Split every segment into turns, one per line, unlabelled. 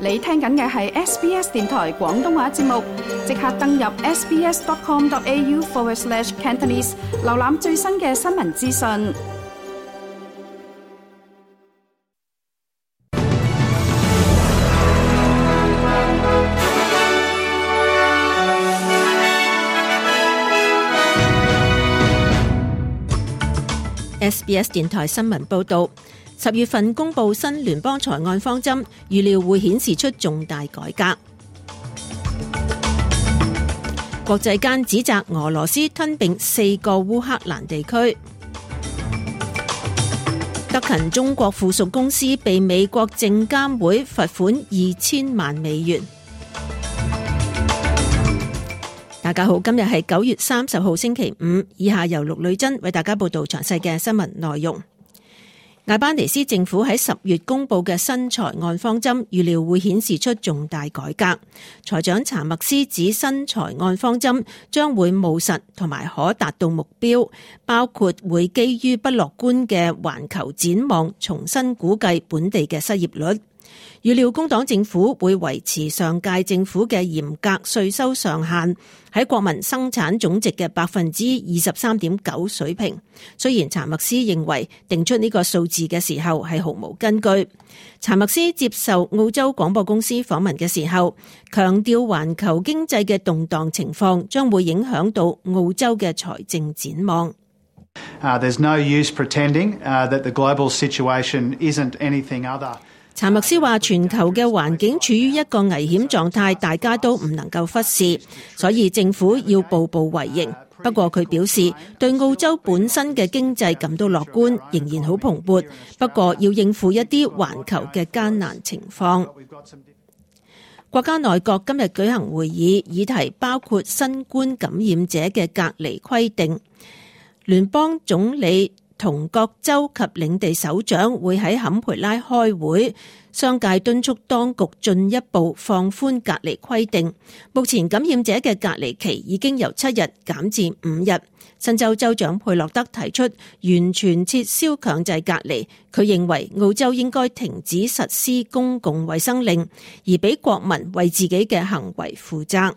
你聽緊嘅係 SBS 電台廣東話節目，即刻登入 sbs.com.au/Cantonese 瀏覽最新嘅新聞資訊。
SBS 電台新聞報導，10月份公布新聯邦財案方針，預料會顯示出重大改革。國際間指責俄羅斯吞併4個烏克蘭地區。德勤中國附屬公司被美國證監會罰款2000萬美元。大家好，今日係9月30號星期五，以下由陸女珍為大家報道詳細嘅新聞內容。艾班尼斯政府喺10月公布嘅新財案方針，預料會顯示出重大改革。財長查默斯指新財案方針將會務實同埋可達到目標，包括會基於不樂觀嘅環球展望，重新估計本地嘅失業率。預料工黨政府會維持上屆政府嘅嚴格稅收上限喺國民生產總值嘅 23.9% 水平。雖然查默斯認為定出呢個數字嘅時候係毫無根據。查默斯接受澳洲廣播公司訪問嘅時候，強調環球經濟嘅動盪情況將會影響到澳洲嘅財政展望。
There's no use pretending that the global situation isn't anything other。
查默斯話全球嘅環境處於一個危險狀態，大家都唔能夠忽視，所以政府要步步為營。不過佢表示對澳洲本身嘅經濟感到樂觀，仍然好蓬勃，不過要應付一啲環球嘅艱難情況。國家內閣今日舉行會議，議題包括新冠感染者嘅隔離規定。聯邦總理同各州及領地首長會喺坎培拉開會，商界敦促當局進一步放寬隔離規定。目前感染者嘅隔離期已經由7日減至5日。新州州長佩洛德提出完全撤銷強制隔離，佢認為澳洲應該停止實施公共衛生令，而俾國民為自己嘅行為負責。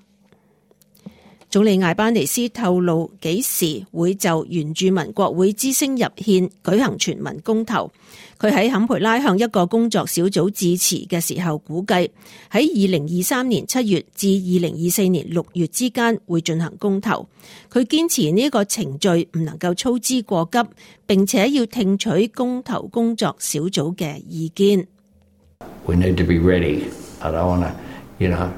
總理艾班尼斯透露幾時會就原住民國會之聲入憲舉行全民公投。佢喺坎培拉向一個工作小組致辭嘅時候，估計喺2023年7月至2024年6月之間會進行公投。佢堅持呢個程序唔能夠操之過急，並且要聽取公投工作小組嘅意見。
We need to be ready. I don't want to,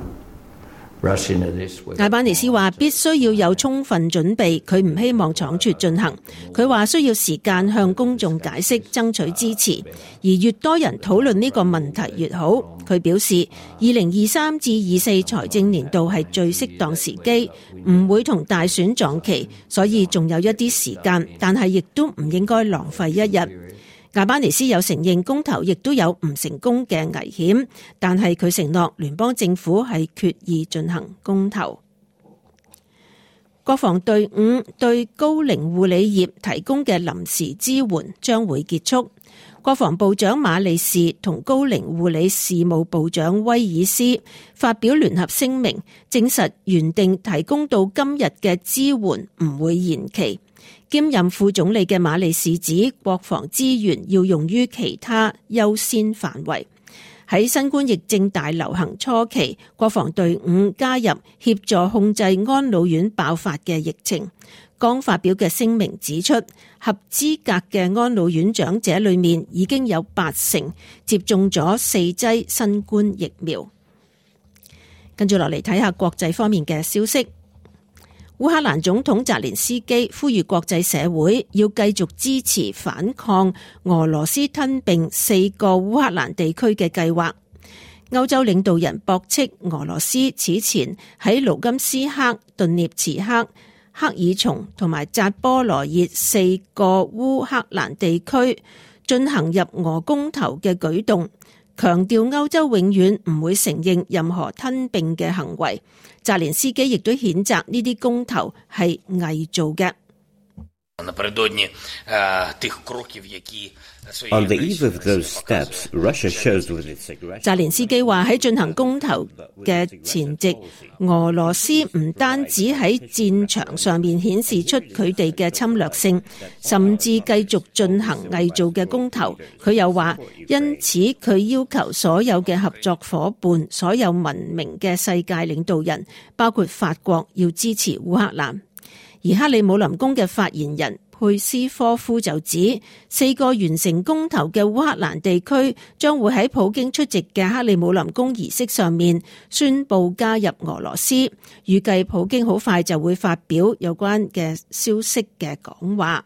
艾班尼斯話必須要有充分準備，佢唔希望倉促進行。佢話需要時間向公眾解釋，爭取支持，而越多人討論呢個問題越好。佢表示2023至24財政年度係最適當時機，唔會同大選撞期，所以仲有一啲時間，但係亦都唔應該浪費一日。艾班尼斯有承認公投亦都有唔成功嘅危險，但係佢承諾聯邦政府係決意進行公投。國防隊伍對高齡護理業提供嘅臨時支援將會結束。國防部長馬利士同高齡護理事務部長威爾斯發表聯合聲明，證實原定提供到今日嘅支援唔會延期。兼任副總理嘅馬利士指，國防資源要用於其他優先範圍。喺新冠疫症大流行初期，國防隊伍加入協助控制安老院爆發嘅疫情。剛發表嘅聲明指出，合資格嘅安老院長者裏面已經有80%接種咗4劑新冠疫苗。跟住落嚟睇下國際方面嘅消息。烏克蘭總統澤連斯基呼籲國際社會要繼續支持反抗俄羅斯吞併4個烏克蘭地區嘅計劃。歐洲領導人駁斥俄羅斯此前喺盧甘斯克、頓涅茨克、克爾松同埋扎波羅熱4個烏克蘭地區進行入俄公投嘅舉動，強調歐洲永遠唔會承認任何吞併嘅行為。澤連斯基亦都譴責呢啲公投係偽造嘅。
On the eve of those steps, Russia shows with its aggressive.
澤連斯基話喺進行公投嘅前夕，俄羅斯唔單止喺戰場上面顯示出佢哋嘅侵略性，甚至繼續進行偽造嘅公投。佢又話，因此佢要求所有嘅合作夥伴、所有文明嘅世界領導人，包括法國，要支持烏克蘭。而克里姆林宮嘅發言人佩斯科夫就指，4個完成公投嘅烏克蘭地區將會喺普京出席嘅克里姆林宮儀式上面宣布加入俄羅斯。預計普京好快就會發表有關嘅消息嘅講話。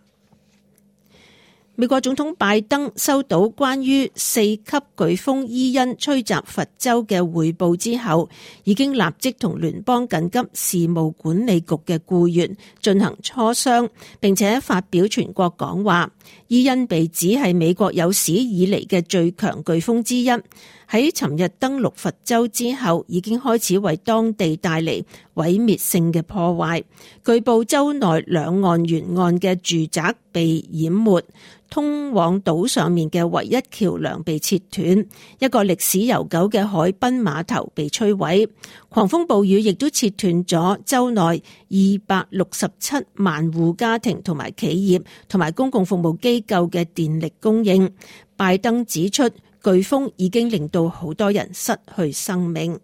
美國總統拜登收到關於4級颶風伊恩吹襲佛州嘅匯報之後，已經立即同聯邦緊急事務管理局嘅僱員進行磋商，並且發表全國講話。伊恩被指係美國有史以嚟嘅最強颶風之一，喺尋日登陸佛州之後，已經開始為當地帶嚟毀滅性嘅破壞。據報州內兩岸沿岸嘅住宅被淹沒，通往島上面嘅唯一橋梁被切斷，一個歷史悠久嘅海濱碼頭被摧毀。狂風暴雨亦都切斷咗州內267萬戶家庭同埋企業同埋公共服務機構嘅電力供應。拜登指出，颶風已經令到好多人失去生命。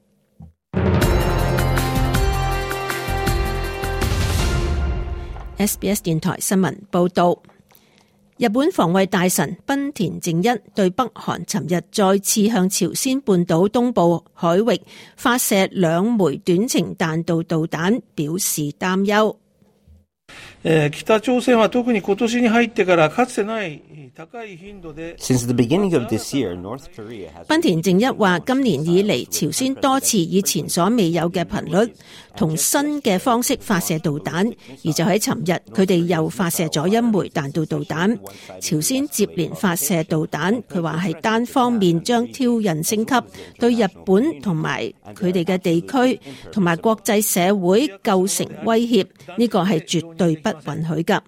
SBS 電台新聞報道。日本防衛大臣濱田正一對北韓尋日再次向朝鮮半島東部海域發射2枚短程彈道導彈表示擔憂。
北朝鮮は特に今年に入ってからかつてない高い頻度で
Since the beginning of this year, North Korea has.
濱田正一話，今年以嚟，朝鮮多次以前所未有嘅頻率同新嘅方式發射導彈，而就喺尋日，佢哋又發射咗1枚彈道導彈。朝鮮接連發射導彈，佢話係單方面將挑釁升級，對日本同埋佢哋嘅地區同埋國際社會構成威脅，呢個係絕對不允許㗎。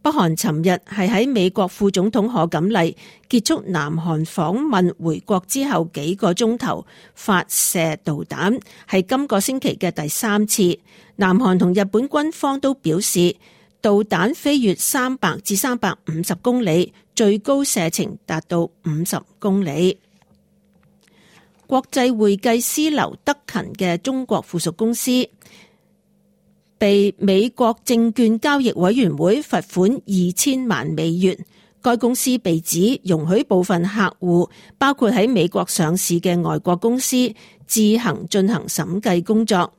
北韓尋日係喺美國副總統賀錦麗結束南韓訪問回國之後幾個鐘頭發射導彈，係今個星期嘅第3次。南韓同日本軍方都表示，導彈飛越300至350公里，最高射程達到50公里。國際會計師劉德勤嘅中國附屬公司被美國證券交易委員會罰款2000萬美元。該公司被指容許部分客戶，包括喺美國上市嘅外國公司，自行進行審計工作。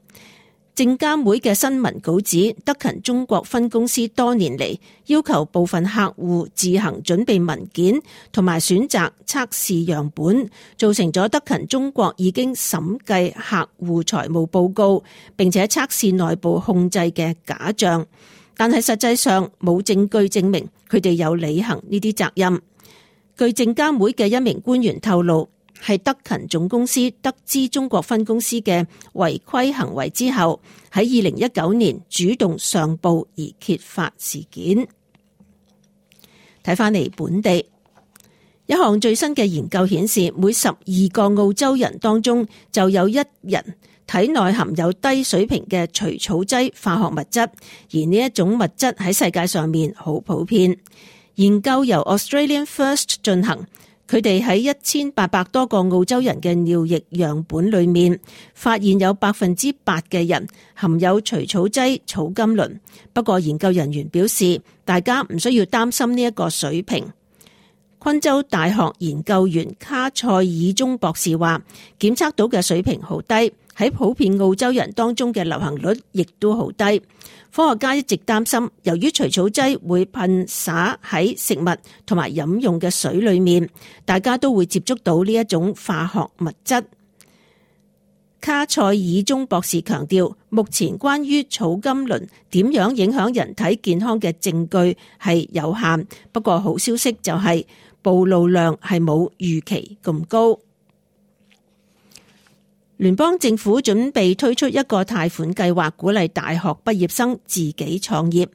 證監會嘅新聞稿指，德勤中國分公司多年嚟要求部分客戶自行準備文件同埋選擇測試樣本，造成咗德勤中國已經審計客戶財務報告並且測試內部控制嘅假象，但係實際上冇證據證明佢哋有履行呢啲責任。據證監會嘅一名官員透露，係德勤總公司得知中國分公司嘅違規行為之後，喺2019年主動上報而揭發事件。睇返嚟本地，一項最新嘅研究顯示，每12個澳洲人當中就有1人體內含有低水平嘅除草劑化學物質，而呢一種物質喺世界上面好普遍。研究由 Australian First 進行。佢哋喺1800多個澳洲人嘅尿液樣本裏面，發現有8%嘅人含有除草劑草甘膦。不過研究人員表示，大家唔需要擔心呢一個水平。昆州大學研究員卡塞爾中博士話，檢測到嘅水平好低，喺普遍澳洲人當中嘅流行率亦都好低。科學家一直擔心，由於除草劑會噴灑喺食物同埋飲用嘅水裏面，大家都會接觸到呢一種化學物質。卡塞爾中博士強調，目前關於草甘膦點樣影響人體健康嘅證據係有限，不過好消息就係暴露量係冇預期咁高。聯邦政府準備推出一個貸款計劃，鼓勵大學畢業生自己創業。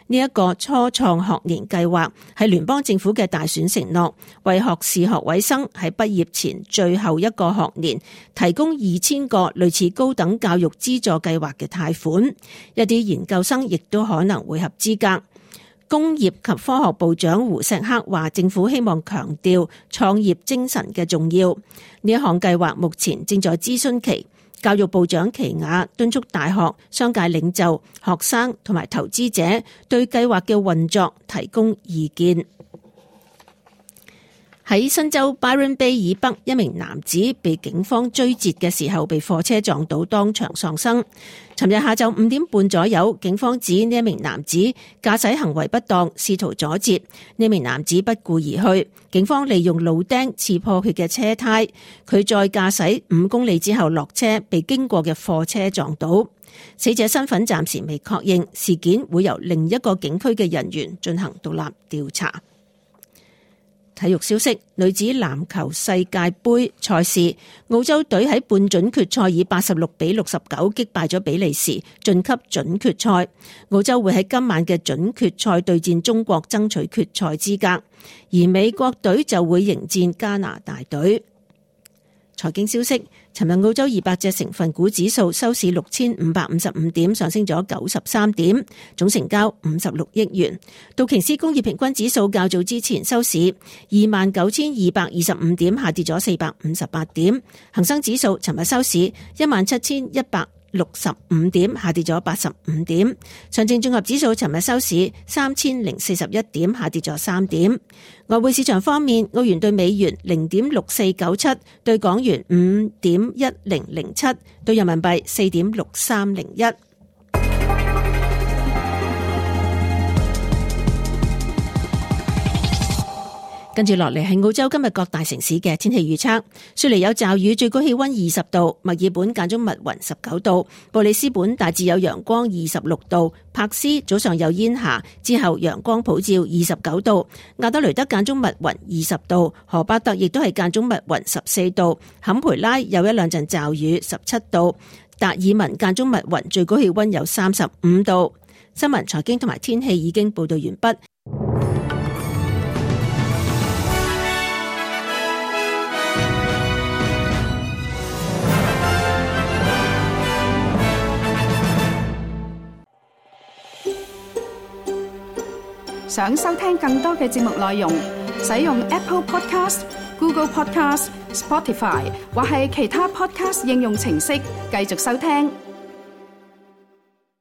呢一個初創學年計劃係聯邦政府嘅大選承諾，為學士學位生喺畢業前最後一個學年提供2000個類似高等教育資助計劃嘅貸款。一啲研究生亦都可能會合資格。工業及科學部長胡錫克話，政府希望強調創業精神嘅重要。呢一項計劃目前正在諮詢期。教育部長奇雅敦促大學、商界領袖、學生同埋投資者對計劃嘅運作提供意見。喺新州 Byron Bay 以北，一名男子被警方追截嘅時候被貨車撞到，當場喪生。尋日下晝5點半左右，警方指呢一名男子駕駛行為不當，試圖阻截。呢名男子不顧而去，警方利用路釘刺破佢嘅車胎，佢再駕駛5公里之後落車，被經過嘅貨車撞到。死者身份暫時未確認，事件會由另一個警區嘅人員進行獨立調查。體育消息：女子籃球世界盃賽事，澳洲隊喺半準決賽以86-69擊敗咗比利時，晉級準決賽。澳洲會喺今晚嘅準決賽對戰中國，爭取決賽資格，而美國隊就會迎戰加拿大隊。財經消息：尋日澳洲200隻成分股指數收市6555點，上升咗93點，總成交56億元。道瓊斯工業平均指數較早之前收市29225點，下跌咗458點。恒生指數尋日收市17165點，下跌咗85點。上證綜合指數尋日收市3041點，下跌咗3點。外匯市場方面，澳元對美元0.6497，對港元5.1007，對人民幣4.6301。跟住落嚟係澳洲今日各大城市嘅天氣預測。雪梨有驟雨，最高氣溫20度；墨爾本間中密雲19度；布里斯本大致有陽光26度；柏斯早上有煙霞，之後陽光普照29度；亞德雷德間中密雲20度；荷巴特亦都係間中密雲14度；坎培拉有一兩陣驟雨17度；達爾文間中密雲，最高氣溫有35度。新聞、財經同埋天氣已經報道完畢。
想收聽更多嘅節目內容，使用 Apple Podcast、Google Podcast、Spotify 或係其他 Podcast 應用程式繼續收聽。